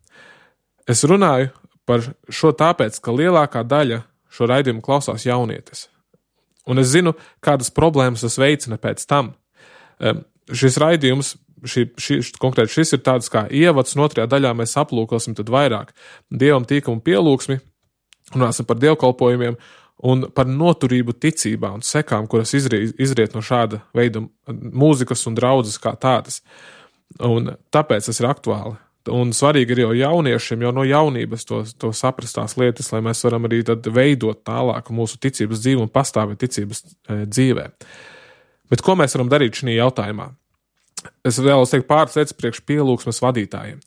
Speaker 1: Es runāju par šo tāpēc, ka lielākā daļa šo raidījumu klausās jaunietes. Un es zinu, kādas problēmas tas veicina pēc tam. Um, šis raidījums, šī, šī, konkrēti šis ir tāds kā ievads, un otrajā daļā mēs aplūkosim tad vairāk dievam tīkumu pielūgsmi, runāsim par dievkalpojumiem un par noturību ticībā un sekām, kuras izriet, izriet no šāda veida mūzikas un draudzes kā tādas. Un tāpēc tas ir aktuāli. Un svarīgi ir jau jauniešiem, jau no jaunības to, to saprastās lietas, lai mēs varam arī tad veidot tālāk mūsu ticības dzīvi un pastāvēt ticības e, dzīvē. Bet ko mēs varam darīt šajā jautājumā? Es vēlos teikt pāris lietas priekš pielūgsmes vadītājiem.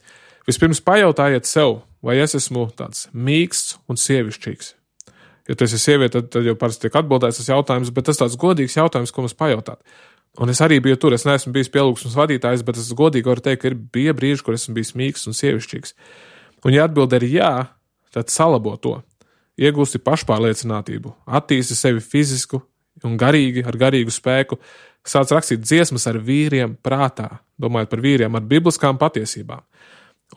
Speaker 1: Vispirms pajautājiet sev, vai es esmu tāds mīksts un sievišķīgs. Ja tu esi sieviete, tad, tad jau parasti tiek atbildēts tas jautājums, bet tas tāds godīgs jautājums, ko mums pajautāt. Un es arī biju tur, es neesmu bijis pielūgsmes vadītājs, bet es godīgi varu teikt, ka ir bija brīži, kur esmu bijis mīksts un sievišķīgs. Un ja atbilde ir jā, tad salabo to. Iegūsti pašpārliecinātību, attīsti sevi fizisku un garīgi, ar garīgu spēku, sāc rakstīt dziesmas ar vīriem prātā, domājot par vīriem ar bibliskām patiesībām.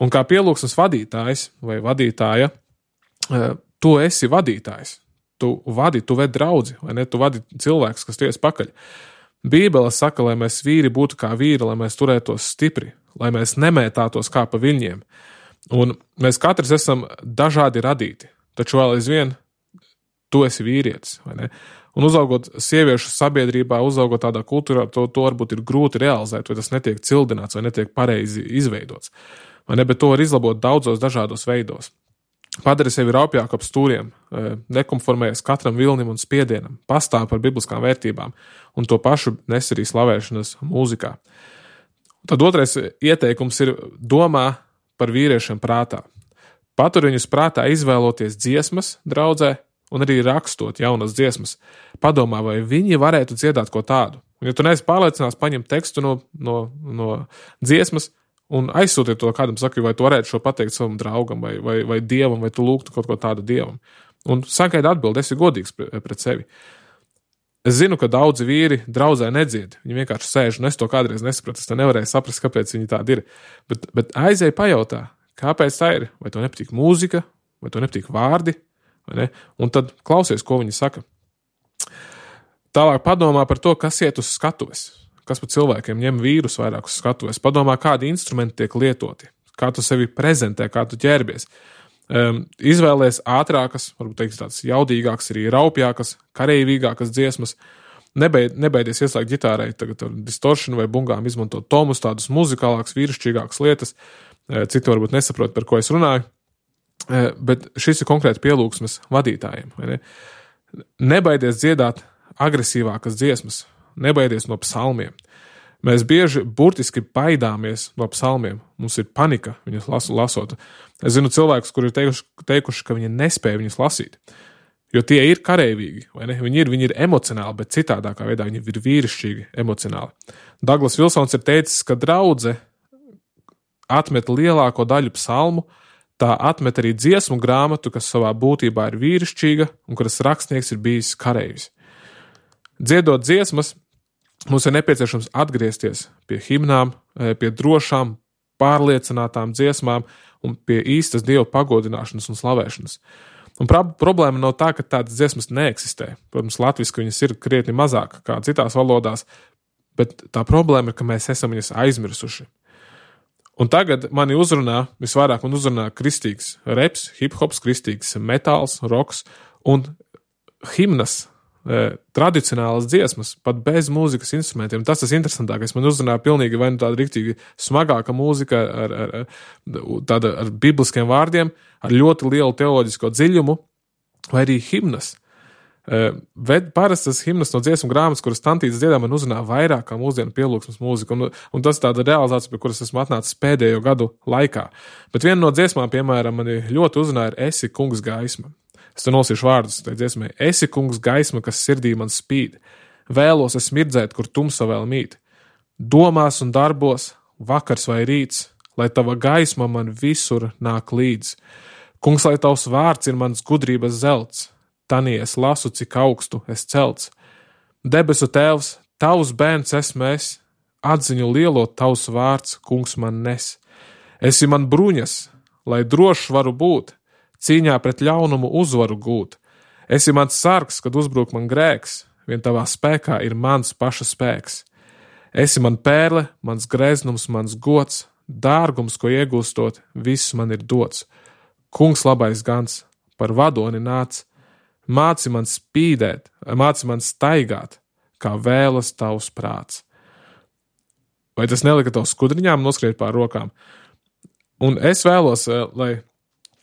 Speaker 1: Un kā pielūgsmes vadītājs vai vadītāja, tu esi vadītājs. Tu vadi, tu ved draudzi, vai ne? Tu vadi cilvēks, kas ties pakaļ. Bībele saka, lai mēs vīri būtu kā vīri, lai mēs turētos stipri, lai mēs nemētātos kā pa viļņiem. Un mēs katrs esam dažādi radīti, taču vēl aizvien tu esi vīrietis, vai ne? Un uzaugot sieviešu sabiedrībā, uzaugot tādā kultūrā, to, to varbūt ir grūti realizēt, vai tas netiek cildināts, vai netiek pareizi izveidots. Vai ne? Bet to var izlabot daudzos dažādos veidos. Padari sevi raupjāk ap stūriem, nekonformējies katram vilnim un spiedienam, pastāv par bibliskām vērtībām un to pašu nes arī slavēšanas mūzikā. Tad otrais ieteikums ir domā par vīriešiem prātā. Patur viņus prātā izvēloties dziesmas draudzē un arī rakstot jaunas dziesmas. Padomā, vai viņi varētu dziedāt ko tādu. Un ja tu neesi pārliecināts, paņem tekstu no, no, no dziesmas, un aizsūtiet to kādam, saka, vai tu varētu šo pateikt savam draugam, vai, vai, vai dievam, vai tu lūgtu kaut ko tādu dievam. Un sagaidi atbildi, esi godīgs pret sevi. Es zinu, ka daudzi vīri draudzē nedzied, viņi vienkārši sēž, un es to kādreiz nesapratu, es to nevarēju saprast, kāpēc viņi tādi ir. Bet, bet aizēj pajautā, kāpēc tā ir, vai to nepatīk mūzika, vai to nepatīk vārdi, vai ne? Un tad klausies, ko viņi saka. Tālāk padomā par to, kas iet uz skatuves. Kas par cilvēkiem ņem vīrus vairāk uz skatuves. Padomā, kādi instrumenti tiek lietoti, kā tu sevi prezentē, kā tu ģērbies. Um, izvēlies ātrākas, varbūt teiks tāds jaudīgākas, arī raupjākas, kareivīgākas dziesmas. Nebeid, nebeidies ieslēgt ģitārai tagad ar distoršanu vai bungām, izmantot tomus, tādus muzikālākas, vīrišķīgākas lietas. Citi varbūt nesaprot, par ko es runāju. Bet šis ir konkrēti pielūgsmes vadītājiem. Vai ne? Nebaidies dziedāt agresīvākas dziesmas. Nebaidies no psalmiem. Mēs bieži burtiski baidāmies no psalmiem. Mums ir panika viņus lasu, lasot. Es zinu cilvēkus, kuri ir teikuši, teikuši, ka viņi nespēja viņus lasīt. Jo tie ir kareivīgi, vai ne? Viņi ir, viņi ir emocionāli, bet citādākā veidā viņi ir vīrišķīgi emocionāli. Douglas Vilsons ir teicis, ka draudze atmet lielāko daļu psalmu, tā atmet arī dziesmu grāmatu, kas savā būtībā ir vīrišķīga un kuras rakstnieks ir bijis kareivis. Dziedot dziesmas, mums ir nepieciešams atgriezties pie himnām, pie drošām, pārliecinātām dziesmām un pie īstas Dieva pagodināšanas un slavēšanas. Un problēma nav tā, ka tādas dziesmas neeksistē. Protams, latviski viņas ir krietni mazāk kā citās valodās, bet tā problēma ir, ka mēs esam viņas aizmirsuši. Un tagad mani uzrunā, visvairāk man uzrunā kristīgs reps, hip-hops, kristīgs metāls, roks un himnas, tradicionālas dziesmas, pat bez mūzikas instrumentiem. Tas tas interesantākais. Man uzrunāja pilnīgi vai nu tāda riktīgi smagāka mūzika ar, ar, tāda, ar bibliskiem vārdiem, ar ļoti lielu teoloģisko dziļumu, vai arī himnas. Bet parastas himnas no dziesmu grāmatas, kuras tantītas dziedā, man uzrunā vairāk kā mūsdienu pielūgsmes mūzika, un, un tas tāda realizācija, pie kuras esmu atnācis pēdējo gadu laikā. Bet viena no dziesmām, piemēram, mani ļoti uzrunāja ir Esi kungs gaisma. Es te nosīšu vārdus, tai dziesmai. Esi kungs gaisma, kas sirdī man spīd. Vēlos es mirdzēt, kur tumsa vēl mīt. Domās un darbos, vakars vai rīts, lai tava gaisma man visur nāk līdz. Kungs, lai tavs vārds ir mans gudrības zelts. tanī es lasu, cik augstu es celts. Debesu tēvs, tavs bērns esmu es, atziņu lielo tavs vārds, kungs man nes. Esi man bruņas, lai drošs varu būt, cīņā pret ļaunumu uzvaru gūt. Esi mans sargs, kad uzbruk man grēks, vien tavā spēkā ir mans paša spēks. Esi man pērle, mans greznums, mans gods, dārgums, ko iegūstot, viss man ir dots. Kungs labais gans, par vadoni nāc, māci man spīdēt, māci man staigāt, kā vēlas tavs prāts. Vai tas nelika tavu skudriņām noskriet pār rokām? Un es vēlos, lai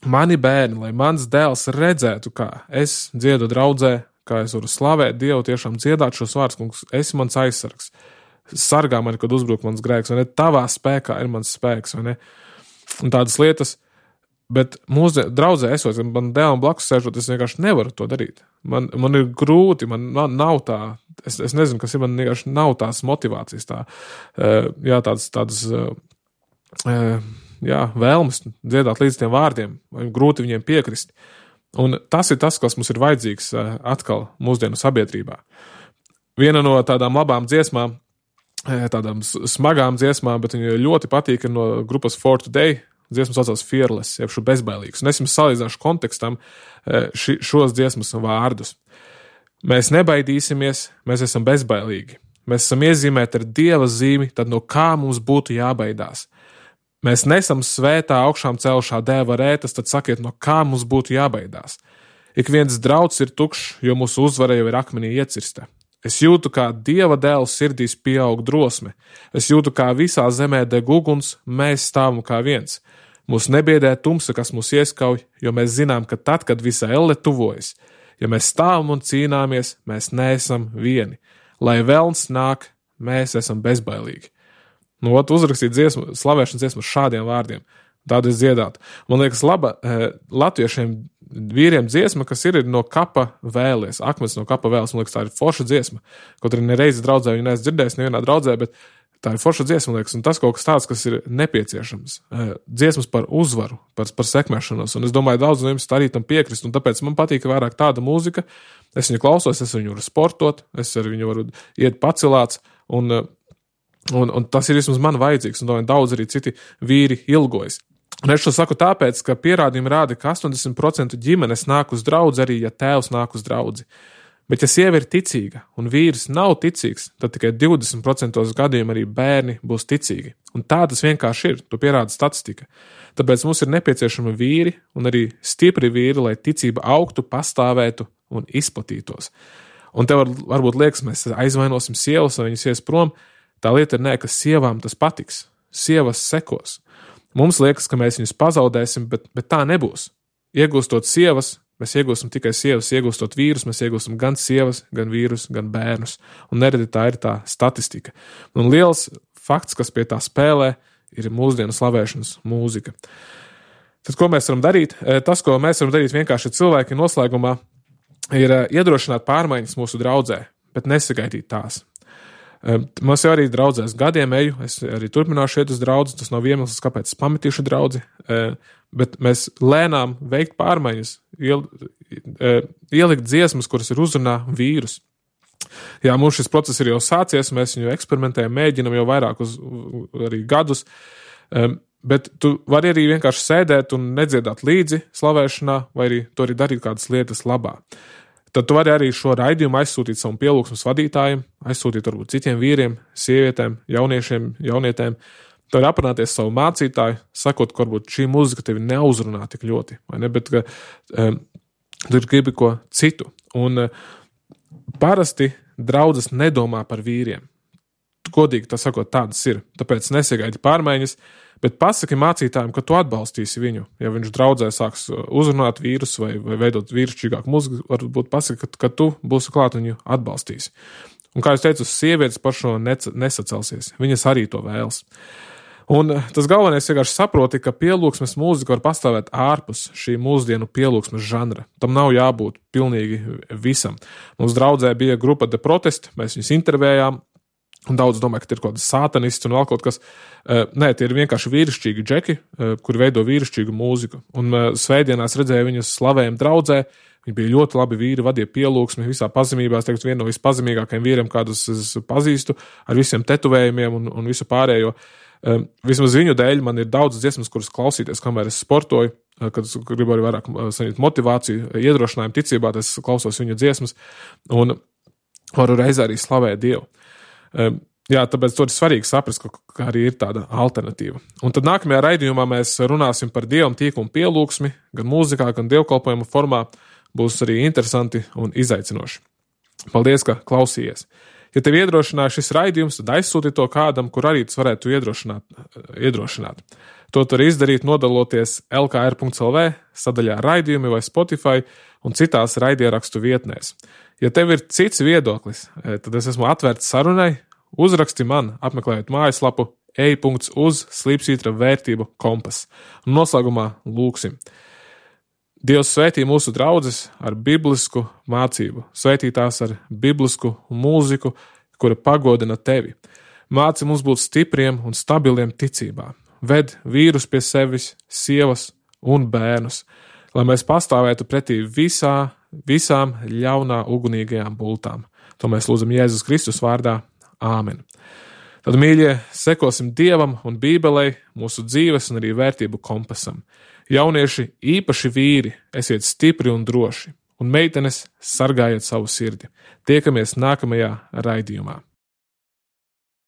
Speaker 1: mani bērni, lai mans dēls redzētu, kā es dziedu draudzē, kā es varu slavēt Dievu, tiešām dziedāt šos vārdus, kungs, esi mans aizsargs. Sargā mani, kad uzbruk mans grēks, vai ne? Tavā spēkā ir mans spēks, vai ne? Un tādas lietas, bet mūsu draudzē esot, man dēlam blakus sēžot, es vienkārši nevaru to darīt. Man, man ir grūti, man, man nav tā, es, es nezinu, kas ir, man vienkārši nav tās motivācijas, tā, jā, tādas, tādas, jā, vēlmes dziedāt līdz tiem vārdiem, vai grūti viņiem piekrist. Un tas ir tas, kas mums ir vajadzīgs atkal mūsdienu sabiedrībā. Viena no tādām labām dziesmām, tādām smagām dziesmām, bet viņa ļoti patīk, ir no grupas For Today, dziesmas saucās Fearless, jeb šo bezbailīgs. Un es jums salīdzināšu kontekstam ši, šos dziesmas vārdus. Mēs nebaidīsimies, mēs esam bezbailīgi. Mēs esam iezīmēti ar Dieva zīmi, tad no kā mums būtu jābaidās. Mēs nesam svētā augšām celšā dēva rētas, tad sakiet, no kā mums būtu jābaidās. Ik viens drauds ir tukšs, jo mūsu uzvara jau ir akmenī iecirsta. Es jūtu, kā Dieva dēls sirdīs pieaug drosme. Es jūtu, kā visā zemē deg uguns, mēs stāvam kā viens. Mūs nebiedē tumsa, kas mūs ieskauj, jo mēs zinām, ka tad, kad visa elle tuvojas, ja mēs stāvam un cīnāmies, mēs neesam vieni. Lai velns nāk, mēs esam bezbailīgi. Nu, ot, uzrakstīt dziesmu, slavēšanas dziesmu šādiem vārdiem. Tādu es dziedātu. Man liekas, laba eh, latviešiem vīriem dziesma, kas ir no kapa vēlies, akmens no kapa vēles. Man liekas, tā ir forša dziesma. Kaut arī nereizi draudzē viņu neesmu dzirdējis nevienā draudzē, bet tā ir forša dziesma, man liekas, un tas kaut kas tāds, kas ir nepieciešams. Eh, dziesmas par uzvaru, par, par sekmēšanos, un es domāju, daudz no jums arī tam piekrist, un tāpēc man patīk vairāk tāda mūzika. Es viņu klausos, es viņu varu sportot, es ar viņu varu iet pacilāts, un Un, un tas ir vismaz man vajadzīgs, un domāju, daudz arī citi vīri ilgojas. Un es šo saku tāpēc, ka pierādījumi rāda, ka astoņdesmit procenti ģimenes nāk uz draudzi arī, ja tēvs nāk uz draudzi. Bet ja sieva ir ticīga un vīrs nav ticīgs, tad tikai divdesmit procenti gadījumu arī bērni būs ticīgi. Un tā tas vienkārši ir, to pierāda statistika. Tāpēc mums ir nepieciešami vīri un arī stipri vīri, lai ticība augtu, pastāvētu un izplatītos. Un tev var, varbūt liekas, mēs aizvainosim sievas, vai viņas ies prom. Tā lieta ir nē, ka sievām tas patiks. Sievas sekos. Mums liekas, ka mēs viņus pazaudēsim, bet, bet tā nebūs. Iegūstot sievas, mēs iegūstam tikai sievas, iegūstot vīrus, mēs iegūstam gan sievas, gan vīrus, gan bērnus. Un nereti tā ir tā statistika. Un liels fakts, kas pie tā spēlē, ir mūsdienu slavēšanas mūzika. Tad, ko mēs varam darīt? Tas, ko mēs varam darīt vienkārši cilvēki noslēgumā, ir iedrošināt pārmaiņas mūsu draudzē, bet nesagaidīt tās. Mums jau arī draudzēs gadiem eju, es arī turpināšu iet uz draudzi, tas nav iemesls, kāpēc es pametīšu draudzi, bet mēs lēnām veikt pārmaiņas, ielikt dziesmas, kuras ir uzrunā vīrus. Jā, mums šis process ir jau sācies, mēs viņu eksperimentējam, mēģinam jau vairākus arī gadus, bet tu vari arī vienkārši sēdēt un nedziedāt līdzi slavēšanā, vai arī to arī darīt kādas lietas labā. Tad tu vari arī šo raidījumu aizsūtīt savam pielūgsmes vadītājiem, aizsūtīt varbūt citiem vīriem, sievietēm, jauniešiem, jaunietēm. Tu vari aprunāties savu mācītāju, sakot, ka varbūt šī mūzika tevi neuzrunā tik ļoti, vai ne, bet ka um, tu gribi ko citu. Un uh, parasti draudzes nedomā par vīriem. Godīgi tā sakot, tādas ir, tāpēc nesagaidi pārmaiņas, bet pasaki mācītājiem, ka tu atbalstīsi viņu. Ja viņš draudzē sāks uzrunāt vīrus vai, vai veidot vīrušķīgāku mūziku, varbūt pasaki, ka, ka tu būsi klāt un viņu atbalstīsi. Un kā es teicu, sievietes par šo nesacelsies. Viņas arī to vēlas. Un tas galvenais vienkārši saproti, ka pielūgsmes mūzika var pastāvēt ārpus šī mūsdienu pielūgsmes žanra. Tam nav jābūt pilnīgi visam. Mums draudzē bija grupa The Protest, mēs viņus intervējām, un daudz domāju, ka tie ir kaut kāds sātanists un vēl kaut kas. Nē, tie ir vienkārši vīrišķīgi džeki, kuri veido vīrišķīgu mūziku. Un svētdienās redzēju viņus slavējam draudzē, Viņi bija ļoti labi vīri, vadīja pielūgsmi visā pazemībā. Es teiktu, viena no vispazemīgākajiem vīriem, kādus es pazīstu, ar visiem tetuvējumiem un, un visu pārējo. Um, vismaz viņu dēļ man ir daudz dziesmas, kuras klausīties, kamēr es sportoju, kad es gribu arī vairāk saņemt motivāciju, iedrošinājumu ticībā, tad es klausos viņu dziesmas un varu reizē arī slavēt Dievu. Um, jā, tāpēc to ir svarīgi saprast, ka, ka arī ir tāda alternatīva. Un tad nākamajā raidījumā mēs runāsim par Dievam tīkumu pielūgsmi, gan mūzikā, gan dievkalpojumu formā. Būs arī interesanti un izaicinoši. Paldies, ka klausījies. Ja tev iedrošināja šis raidījums, tad aizsūti to kādam, kur arī tas varētu iedrošināt. iedrošināt. To tu vari izdarīt, nodaloties el ka er punkts el ve sadaļā raidījumi vai Spotify un citās raidierakstu vietnēs. Ja tev ir cits viedoklis, tad es esmu atvērts sarunai, uzraksti man, apmeklējot mājaslapu e punkts uz slīpsvītra vērtību kompas. Un noslēgumā lūksim. Dievs svētī mūsu draudzes ar biblisku mācību, svētī tās ar biblisku mūziku, kura pagodina tevi. Māci mums būt stipriem un stabiliem ticībā. Ved vīrus pie sevis, sievas un bērnus, lai mēs pastāvētu pretī visā, visām ļaunā ugunīgajām bultām. To mēs lūdzam Jēzus Kristus vārdā. Āmen. Tad, mīļie, sekosim Dievam un Bībelei, mūsu dzīves un arī vērtību kompasam. Jaunieši, īpaši vīri, esiet stipri un droši, un meitenes sargājiet savu sirdi. Tiekamies nākamajā raidījumā.